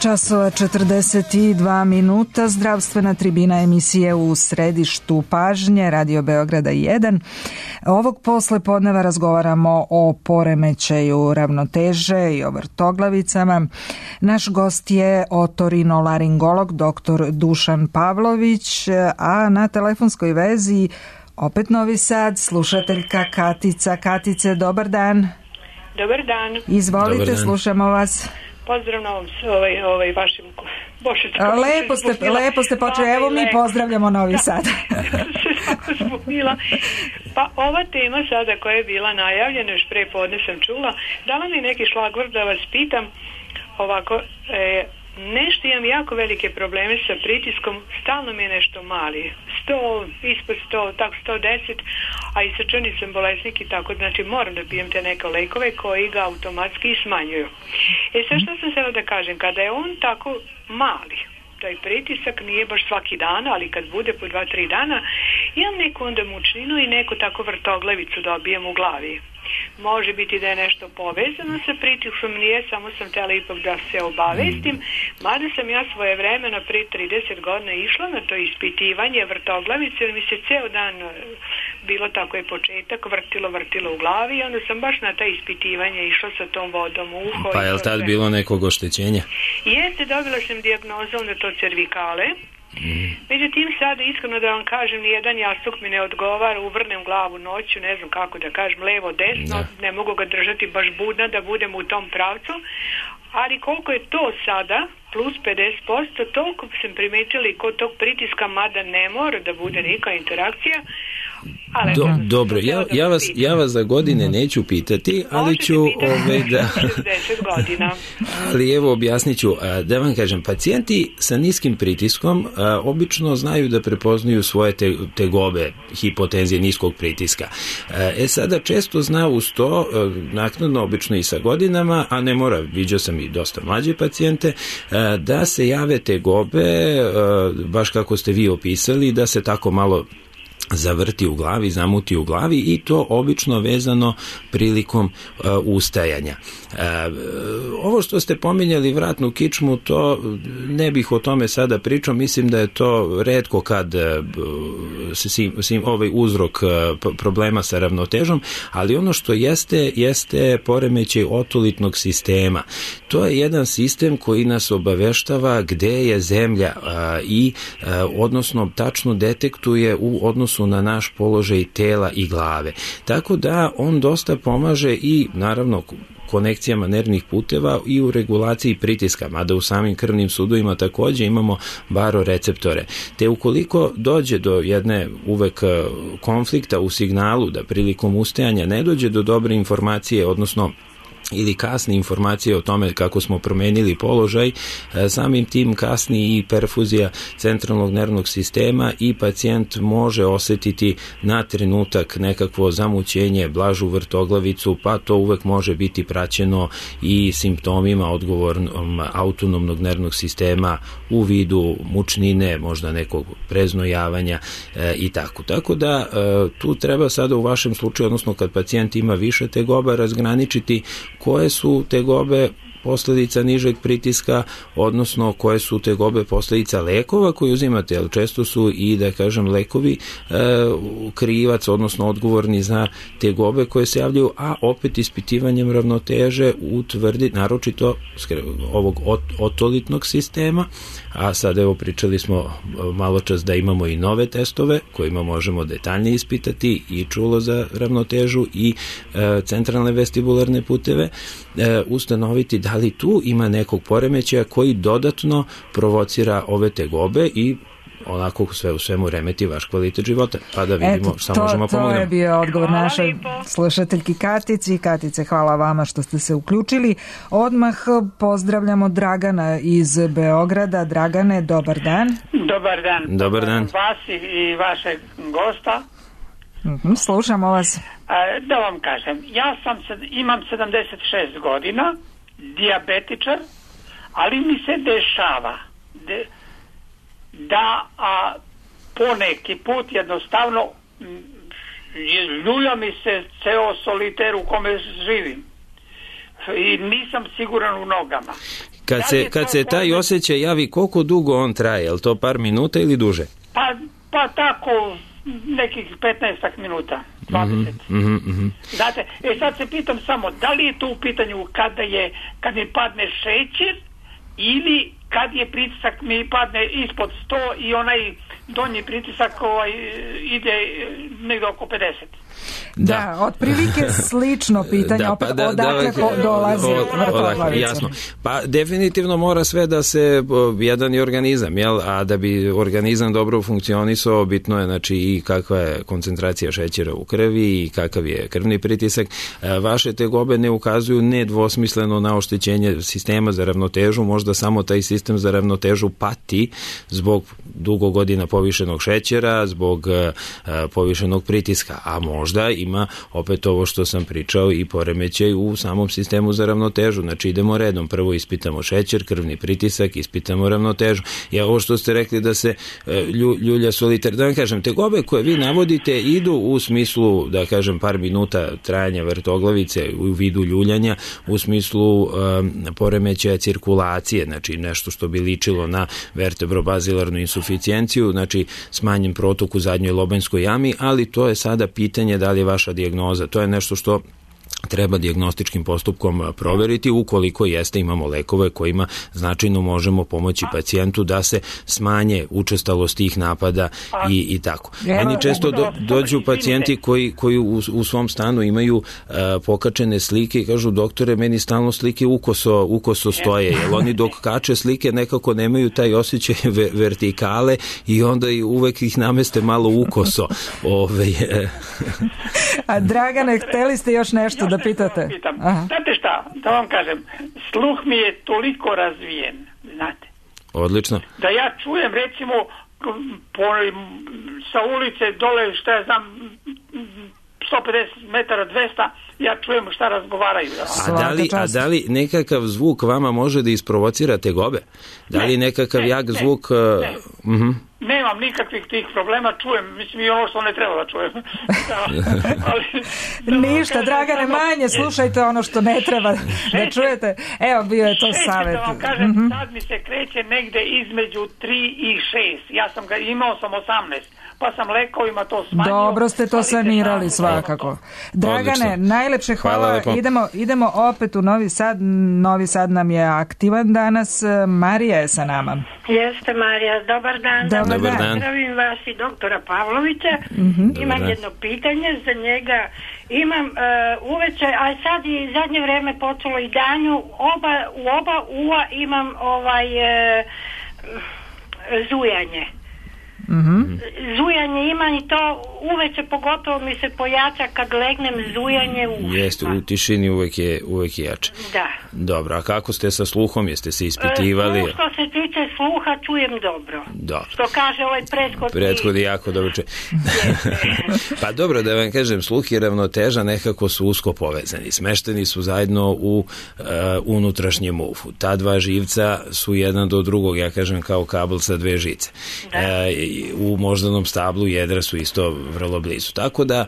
časova 42 minuta, zdravstvena tribina emisije u središtu pažnje, Radio Beograda 1. Ovog posle podneva razgovaramo o poremećaju ravnoteže i o vrtoglavicama. Naš gost je otorinolaringolog dr. Dušan Pavlović, a na telefonskoj vezi opet Novi Sad, slušateljka Katica. Katice, dobar dan. Dobar dan. Izvolite, dobar dan. Slušamo vas. Pozdrav na ovom vašem bošečkom. Lepo ste počeli, evo mi pozdravljamo Novi Sad. Pa ova tema sada koja je bila najavljena, još pre podne sam čula, dala mi neki šlagvort da vas pitam ovako, nešto imam jako velike probleme sa pritiskom, stalno mi je nešto mali, 100, ispod 100, tako 110, a i srčani sam bolesnik i tako, znači moram da pijem te neke lekove koji ga automatski smanjuju. Sad što sam htjela da kažem, kada je on tako mali, taj pritisak nije baš svaki dan, ali kad bude po 2-3 dana, imam neku onda mučninu i neku tako vrtoglavicu dobijem u glavi. Može biti da je nešto povezano sa pritiskom, nije, samo sam htjela ipak da se obavestim, mada sam ja svoje vremena pre 30 godina išla na to ispitivanje vrtoglavice, jer mi se ceo dan bilo tako je početak, vrtilo u glavi i onda sam baš na ta ispitivanje išla sa tom vodom u uho. Pa je li tad bilo nekog oštećenja? Jeste, dobila sam dijagnozu onda to cervikale. Međutim, sada iskreno da vam kažem, nijedan jastuk mi ne odgovara, uvrnem glavu noću, ne znam kako da kažem, levo, desno, ne mogu ga držati baš budna da budem u tom pravcu, ali koliko je to sada, plus 50%, toliko sam primetila i kod tog pritiska, mada ne mora da bude neka interakcija. Dobro, ja vas za godine neću pitati, ali ću da... 60 godina. Ali evo objasnit ću, da vam kažem, pacijenti sa niskim pritiskom obično znaju da prepoznaju svoje tegobe hipotenzije niskog pritiska. Sada često zna uz to, naknadno obično i sa godinama, a ne mora, viđao sam i dosta mlađe pacijente, da se jave tegobe, baš kako ste vi opisali, da se tako malo zavrti u glavi, zamuti u glavi i to obično vezano prilikom ustajanja. Ovo što ste pominjali vratnu kičmu, to ne bih o tome sada pričao, mislim da je to retko kad ovaj uzrok problema sa ravnotežom, ali ono što jeste poremećaj otolitnog sistema. To je jedan sistem koji nas obaveštava gde je zemlja i odnosno tačno detektuje u odnosu na naš položaj tela i glave. Tako da on dosta pomaže i naravno konekcijama nervnih puteva i u regulaciji pritiska, mada u samim krvnim sudovima također imamo baroreceptore. Te ukoliko dođe do jedne uvek konflikta u signalu da prilikom ustajanja ne dođe do dobre informacije, odnosno ili kasne informacije o tome kako smo promenili položaj, samim tim kasni i perfuzija centralnog nervnog sistema i pacijent može osjetiti na trenutak nekakvo zamućenje, blažu vrtoglavicu, pa to uvek može biti praćeno i simptomima odgovornom autonomnog nervnog sistema u vidu mučnine, možda nekog preznojavanja i tako. Tako da tu treba sada u vašem slučaju, odnosno kad pacijent ima više tegoba, razgraničiti koje su tegobe posljedica nižeg pritiska, odnosno koje su tegobe posljedica lekova koje uzimate, ali često su i, da kažem, lekovi krivac, odnosno odgovorni za tegobe koje se javljaju, a opet ispitivanjem ravnoteže utvrdi, naročito ovog otolitnog sistema, a sad evo pričali smo malo čas da imamo i nove testove kojima možemo detaljnije ispitati i čulo za ravnotežu i centralne vestibularne puteve, ustanoviti da li tu ima nekog poremećaja koji dodatno provocira ove tegobe i onako sve u svemu remeti vaš kvalitet života, pa da vidimo šta možemo pomoći. To je bio odgovor našoj slušateljki Katici. Katice, hvala vama što ste se uključili. Odmah pozdravljamo Dragana iz Beograda. Dragane, dobar dan. Dobar dan. Dobar dan. Vas i vašeg gosta. Slušamo vas. Da vam kažem, imam 76 godina, dijabetičar, ali mi se dešava da poneki put jednostavno ljulja mi se ceo soliter u kome živim i nisam siguran u nogama. Kad se taj osjećaj javi, koliko dugo on traje? Je li to par minuta ili duže? Pa tako nekih 15 minuta, 20. Znate, sad se pitam samo, da li je to u pitanju kad mi padne šećer ili kad je pritisak mi padne ispod 100 i onaj donji pritisak ide negdje oko 50. Da, otprilike slično pitanje, opet odakle dolazi vrtoglavica. Jasno. Pa definitivno mora sve da se jedan je organizam, jel? A da bi organizam dobro funkcionisao, bitno je znači i kakva je koncentracija šećera u krvi i kakav je krvni pritisak. Vaše tegobe ne ukazuju nedvosmisleno na oštećenje sistema za ravnotežu, možda samo taj sistem za ravnotežu pati zbog dugo godina povišenog šećera, zbog povišenog pritiska, a možda ima opet ovo što sam pričao i poremećaj u samom sistemu za ravnotežu. Znači idemo redom, prvo ispitamo šećer, krvni pritisak, ispitamo ravnotežu. I ovo što ste rekli da se ljulja solitar, da vam kažem, tegobe koje vi navodite idu u smislu, da kažem, par minuta trajanja vrtoglavice u vidu ljuljanja, u smislu poremećaja cirkulacije, znači nešto što bi ličilo na vertebrobazilarnu insuficijenciju, znači smanjen protok u zadnjoj lobanjskoj jami, ali to je sada pitanje da li je vaša dijagnoza. To je nešto što treba dijagnostičkim postupkom proveriti. Ukoliko jeste, imamo lekove kojima značajno možemo pomoći pacijentu da se smanje učestalost tih napada i tako. Meni često dođu pacijenti koji u svom stanu imaju pokačene slike i kažu, doktore, meni stalno slike ukoso stoje, jer oni dok kače slike nekako nemaju taj osjećaj vertikale i onda uvek ih nameste malo ukoso. A Dragane, hteli ste još nešto da pitate? Znate šta, da vam kažem, sluh mi je toliko razvijen, znate. Odlično. Da ja čujem, recimo, sa ulice dole, šta ja znam, 150 metara, 200, ja čujem šta razgovaraju. A da li nekakav zvuk vama može da isprovocira tegobe? Da li nekakav jak zvuk... Nemam nikakvih tih problema, čujem, mislim i ono što ne treba da čujem. Ništa, Dragane, manje slušajte ono što ne treba da čujete. Evo, bio je to savjet. Da vam kažem, sad mi se kreće negde između 3 i 6. Imao sam 18, pa sam lekovima to smanjio. Dobro ste to sanirali svakako. Dragane, najlepše hvala. Idemo opet u Novi Sad. Novi Sad nam je aktivan danas. Marija je sa nama. Jeste, Marija, dobar dan. Dobar dan. Zdravim vas i doktora Pavlovića. Imam jedno pitanje za njega. Imam uveče, a sad i zadnje vreme počelo i danju, u oba uva imam zujanje. Zujanje imam i to uveče pogotovo mi se pojača kad legnem, zujanje ušima. Jeste, u tišini uvek je jače. Da. Dobro, a kako ste sa sluhom? Jeste se ispitivali? Što se tiče sluha, čujem dobro. Dobro. Što kaže ovaj prethodi jako dobro čuje. Pa dobro, da vam kažem, sluh i ravnoteža nekako su usko povezani. Smešteni su zajedno u unutrašnjem uhu. Ta dva živca su jedan do drugog, ja kažem, kao kabel sa dve žice. U moždanom stablu jedra su isto vrlo blizu. Tako da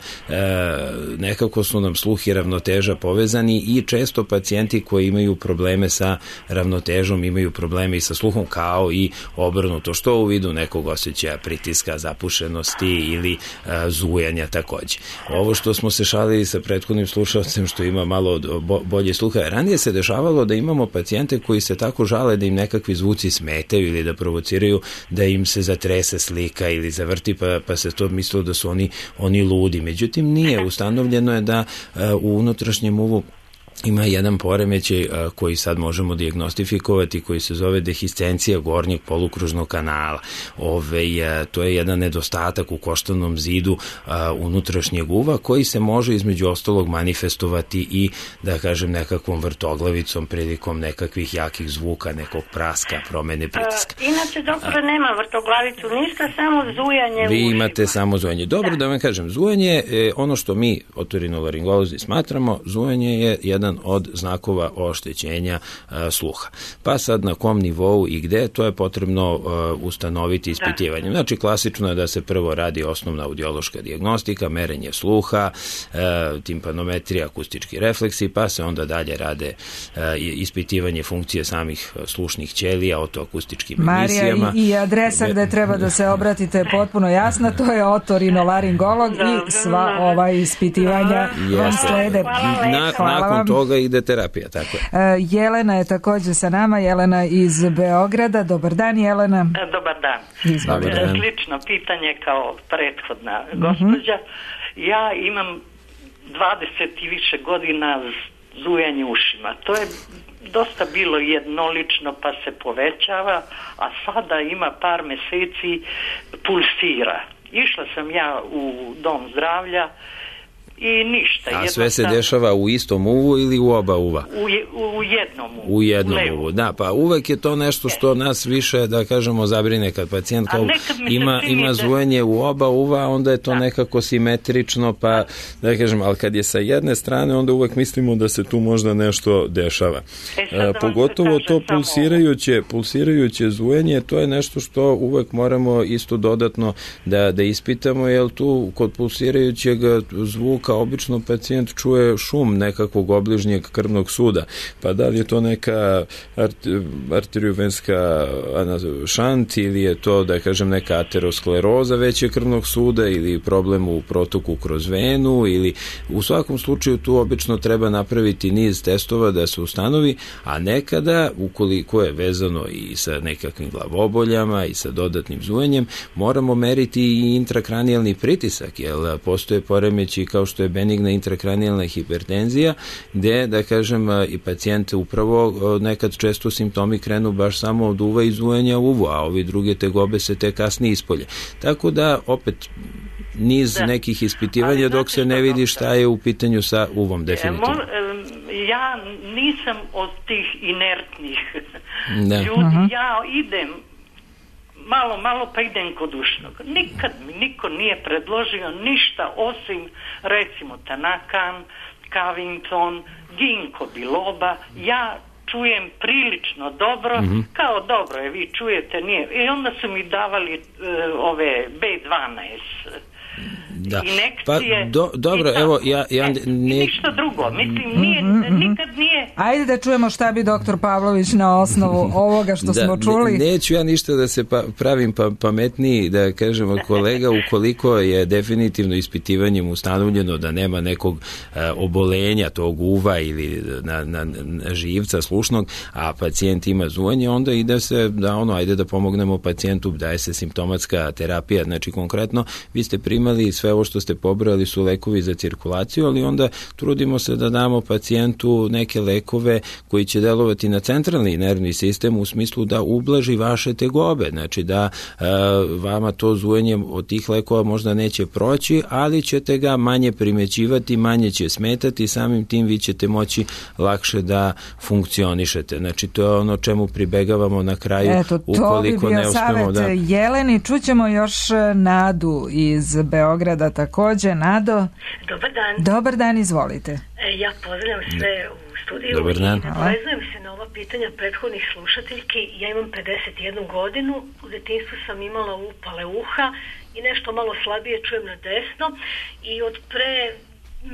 nekako su nam sluh i ravnoteža povezani i često pacijenti koji imaju probleme sa ravnotežom imaju probleme i sa sluhom, kao i obrnuto, što u vidu nekog osjećaja pritiska, zapušenosti ili zujanja takođe. Ovo što smo se šalili sa prethodnim slušalcem što ima malo bolje sluha, ranije se dešavalo da imamo pacijente koji se tako žale da im nekakvi zvuci smetaju ili da provociraju da im se zatrese slika ili zavrti, pa se to mislilo da su oni ludi. Međutim, nije. Ustanovljeno je da u unutrašnjem uvu ima jedan poremećaj koji sad možemo dijagnostifikovati, koji se zove dehiscencija gornjeg polukružnog kanala. To je jedan nedostatak u koštanom zidu unutrašnjeg uva koji se može između ostalog manifestovati i, da kažem, nekakvom vrtoglavicom prilikom nekakvih jakih zvuka, nekog praska, promene pritiska. Inače, doktore, nema vrtoglavicu, ništa, samo zujanje. Vi imate samo zujanje. Dobro, da vam kažem, zujanje, ono što mi otorinolaringolozi smatramo, zujanje je jedan od znakova oštećenja sluha. Pa sad na kom nivou i gde, to je potrebno ustanoviti ispitivanjem. Znači, klasično je da se prvo radi osnovna audiološka dijagnostika, merenje sluha, timpanometrija, akustički refleksi, pa se onda dalje rade ispitivanje funkcije samih slušnih ćelija, otoakustičkim emisijama. Marija, i adresa gde treba da se obratite potpuno jasna, to je otorinolaringolog i sva ova ispitivanja vam slede. Nakon toga ide terapija, tako je. Jelena je također sa nama, Jelena iz Beograda. Dobar dan, Jelena. Dobar dan. Dobar dan. Slično pitanje kao prethodna gospođa. Ja imam 20 i više godina zujanje ušima. To je dosta bilo jednolično pa se povećava, a sada ima par meseci pulsira. Išla sam ja u dom zdravlja i ništa. A sve se dešava u istom uvu ili u oba uva? U jednom uvu. U jednom uvu, da, pa uvek je to nešto što nas više, da kažemo, zabrine kad pacijent ima zujanje u oba uva, onda je to nekako simetrično, pa da kažem, ali kad je sa jedne strane, onda uvek mislimo da se tu možda nešto dešava. Pogotovo to pulsirajuće zujanje, to je nešto što uvek moramo isto dodatno da ispitamo, jer tu kod pulsirajućeg zvuka obično pacijent čuje šum nekakvog obližnjeg krvnog suda, pa da li je to neka arteriovenska šant ili je to, da kažem, neka ateroskleroza većeg krvnog suda ili problem u protoku kroz venu, ili u svakom slučaju tu obično treba napraviti niz testova da se ustanovi, a nekada, ukoliko je vezano i sa nekakvim glavoboljama i sa dodatnim zujenjem, moramo meriti i intrakranijalni pritisak, jer postoje poremeći kao što je benigna intrakranijalna hipertenzija, gde, da kažem, i pacijente upravo nekad često simptomi krenu baš samo od uva i zujanja uvu, a ovi druge tegobe se te kasnije ispolje. Tako da, opet, niz nekih ispitivanja dok se ne vidi šta je u pitanju sa uvom, definitivno. Ja nisam od tih inertnih ljudi, ja idem malo pa idem kod ušnog. Nikad mi niko nije predložio ništa osim recimo Tanakan, Covington, Ginkgo biloba. Ja čujem prilično dobro, kao dobro je, vi čujete, nije. I onda su mi davali ove B12 inekcije. Dobro, evo, ništa drugo, mislim, nikad nije. Ajde da čujemo šta bi doktor Pavlović na osnovu ovoga što smo čuli. Neću ja ništa da se pravim pametniji, da kažemo, kolega, ukoliko je definitivno ispitivanjem ustanovljeno da nema nekog obolenja tog uva ili na živca slušnog, a pacijent ima zujanje, onda ide se ajde da pomognemo pacijentu, daje se simptomatska terapija. Znači, konkretno, vi ste primali sve ovo što ste pobrali su lekovi za cirkulaciju, ali onda trudimo se da damo pacijentu neke lekove koji će delovati na centralni nervni sistem u smislu da ublaži vaše tegobe, znači da vama to zujanje od tih lekova možda neće proći, ali ćete ga manje primećivati, manje će smetati, samim tim vi ćete moći lakše da funkcionišete. Znači, to je ono čemu pribegavamo na kraju. Ukoliko ne uspemo da... Jeleni, čućemo još Nadu iz Beograda takođe. Nado? Dobar dan. Dobar dan, izvolite. Ja pozdravljam sve u studiju Dobar dan. I nadovezujem se na ova pitanja prethodnih slušateljki. Ja imam 51 godinu, u detinjstvu sam imala upale uha i nešto malo slabije čujem na desno i od pre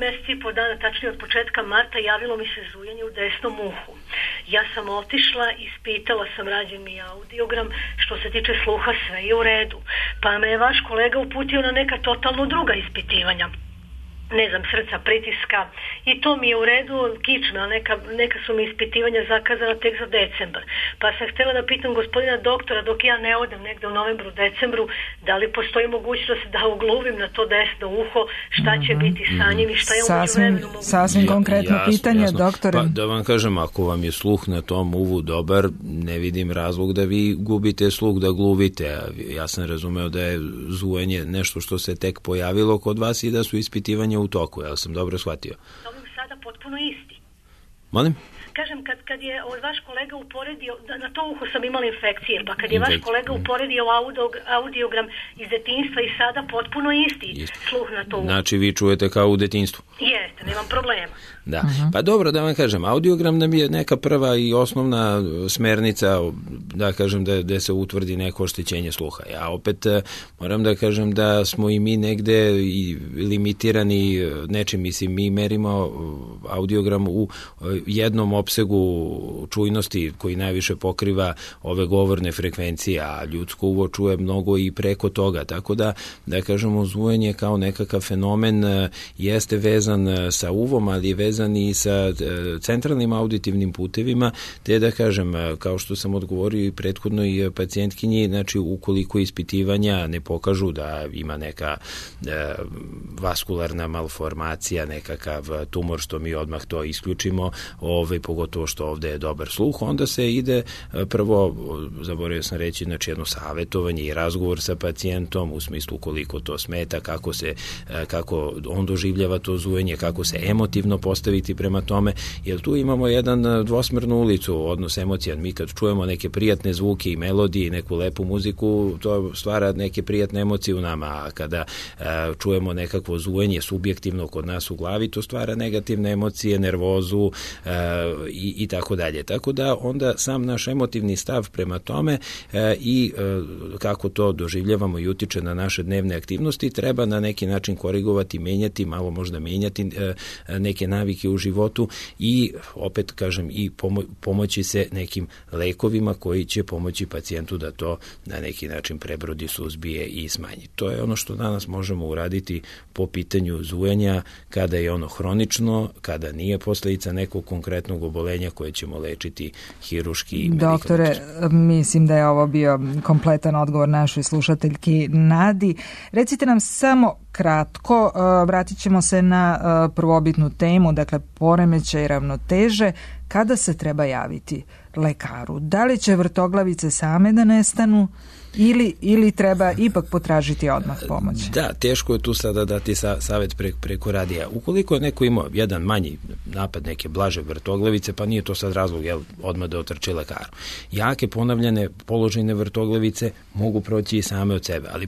mjeseci i po dana, tačnije od početka marta, javilo mi se zujanje u desnom uhu. Ja sam otišla, ispitala sam, rađen mi audiogram, što se tiče sluha sve je u redu. Pa me je vaš kolega uputio na neka totalno druga ispitivanja. Ne znam, srca, pritiska i to mi je u redu, kičme, a neka su mi ispitivanja zakazana tek za decembar. Pa sam htjela da pitam gospodina doktora, dok ja ne odem negde u novembru, decembru, da li postoji mogućnost da ugluvim na to desno uho, šta će biti sa njim i šta je umeđuvremenu moguće? Sasvim konkretno pitanje, doktore. Pa da vam kažem, ako vam je sluh na tom uvu dobar, ne vidim razlog da vi gubite sluh, da gluvite. Ja sam razumeo da je zujanje nešto što se tek pojavilo kod vas i da su ispitivanja u toku, ja sam dobro shvatio. To mi sada potpuno isti. Molim? Kažem, kad je vaš kolega uporedio, na to uho sam imala infekcije, pa kad je vaš kolega uporedio audiogram iz detinjstva i sada potpuno isti sluh na to uho. Znači vi čujete kao u detinjstvu? Jeste, nemam problema. Da, pa dobro, da vam kažem, audiogram nam je neka prva i osnovna smernica, da kažem, da se utvrdi neko oštećenje sluha. Ja opet moram da kažem da smo i mi negde i limitirani nečim, mislim, mi merimo audiogram u jednom opsegu čujnosti koji najviše pokriva ove govorne frekvencije, a ljudsko uvo čuje mnogo i preko toga, tako da kažemo, zujanje kao nekakav fenomen jeste vezan sa uvom, ali je vezan i sa centralnim auditivnim putevima, te da kažem, kao što sam odgovorio i prethodnoj pacijentkinji, znači ukoliko ispitivanja ne pokažu da ima neka vaskularna malformacija, nekakav tumor, što mi odmah to isključimo, pogotovo što ovde je dobar sluh, onda se ide prvo, zaboravio sam reći, znači jedno savjetovanje i razgovor sa pacijentom u smislu koliko to smeta, kako on doživljava to zujanje, kako se emotivno postaviti prema tome, jer tu imamo jedan dvosmernu ulicu, odnos emocija. Mi kad čujemo neke prijatne zvuke i melodije i neku lepu muziku, to stvara neke prijatne emocije u nama, a kada čujemo nekakvo zujanje subjektivno kod nas u glavi, to stvara negativne emocije, nervozu i tako dalje. Tako da onda sam naš emotivni stav prema tome i kako to doživljavamo i utiče na naše dnevne aktivnosti, treba na neki način korigovati, menjati, malo možda menjati neke navike u životu i opet kažem i pomoći se nekim lekovima koji će pomoći pacijentu da to na neki način prebrodi, suzbije i smanji. To je ono što danas možemo uraditi po pitanju zujanja kada je ono hronično, kada nije posledica nekog konkretnog obolenja koje ćemo lečiti hiruški i medikamentoсно. Doktore, mislim da je ovo bio kompletan odgovor našoj slušateljki Nadi. Recite nam samo kratko, vratit ćemo se na prvobitnu temu, dakle poremećaj ravnoteže, kada se treba javiti lekaru. Da li će vrtoglavice same da nestanu ili treba ipak potražiti odmah pomoć? Da, teško je tu sada dati savjet preko radija. Ukoliko je neko imao jedan manji napad, neke blaže vrtoglavice, pa nije to sad razlog odmah da otrči lekaru. Jake ponavljane položajne vrtoglavice mogu proći i same od sebe, ali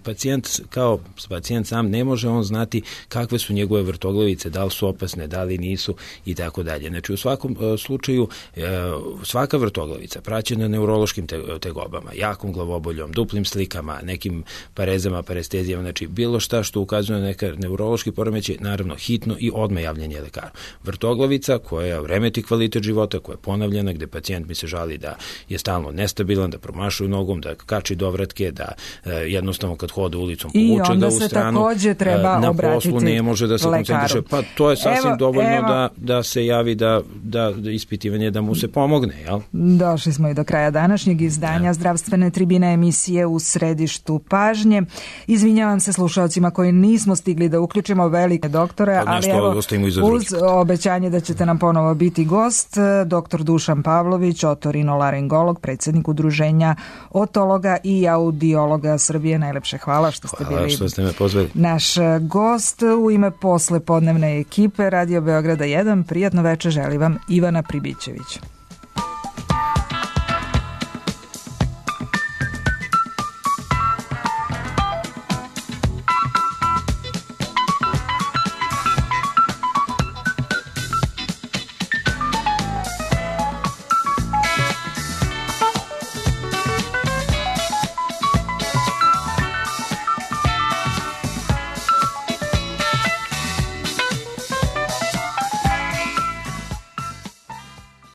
pacijent sam ne može on znati kakve su njegove vrtoglavice, da li su opasne, da li nisu i tako dalje. Znači u svakom slučaju svaka vrtoglavica praćena neurološkim tegobama, jakom glavoboljom, duplim slikama, nekim parezama, parestezijama, znači bilo šta što ukazuje na neka neurološki poremećaj, naravno hitno i odmah javljanje lekaru. Vrtoglavica koja remeti kvalitet života, koja je ponavljena, gde pacijent mi se žali da je stalno nestabilan, da promašuje nogom, da kači dovratke, da jednostavno kad hode ulicom povuče ga u stranu. I onda se takođe treba na obratiti poslu ne može da se lekaru. koncentriše. Pa to je sasvim dovoljno da se javi da ispitivanje da mu se pomogne, jel? Došli smo i do kraja današnjeg izdanja Zdravstvene tribine, emisije U središtu pažnje. Izvinjavam se slušalcima koji nismo stigli da uključimo velike doktore, ali evo uz obećanje da ćete nam ponovo biti gost, dr. Dušan Pavlović, otorinolaringolog, predsjednik Udruženja otologa i audiologa Srbije. Najlepše hvala što ste bili što ste me pozvali. Naš gost. U ime poslepodnevne ekipe Radio Beograda 1 prijatno večer želi vam Ivana Pribićević.